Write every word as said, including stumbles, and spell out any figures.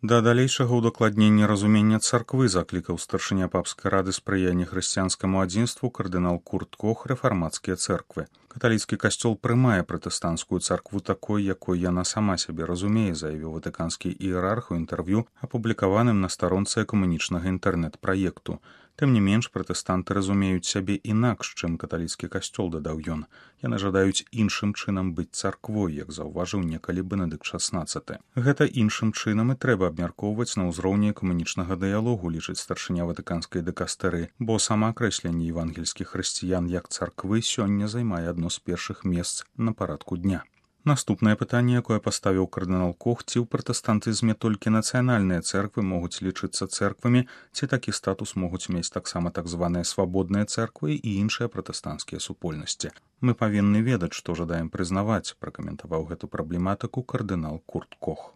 Да далейшага ўдакладнення разумення царквы заклікаў старшыня папскай рады спрыяння хрысціянскаму адзінству кардынал Курт Кох рэфармацкія цэрквы. Каталіцкі касцёл прымае пратэстанцкую царкву такой, якой яна сама сябе разумее, заявіў ватыканскі іерарх у інтэрв'ю, апублікаваным на старонцы экумэнічнага інтэрнэт-праекту. Тым не менш, пратэстанты разумеюць сябе інакш, чым каталіцкі касцёл, дадаў ён. Яны жадаюць іншым чынам быць царквой, як заўважыў некалі Бенедыкт шаснаццаты. Гэта іншым чынам і трэба абмяркоўваць на ўзроўні экумэнічнага дыялогу, лічыць старшыня ватыканскай дыкастэры, бо сама акрэсленне евангельскіх хрысціян як царквы сёння займае адно з першых месц на парадку дня. Наступнае пытанне, якое паставіў кардынал Кох, ці ў пратэстантызме толькі нацыянальныя цэрквы могуць лічыцца цэрквамі, ці такі статус могуць мець таксама так званыя свабодныя цэрквы і іншыя пратэстанцкія супольнасці. Мы павінны ведаць, што жадаем прызнаваць, пракаментаваў гэту праблематыку кардынал Курт Кох.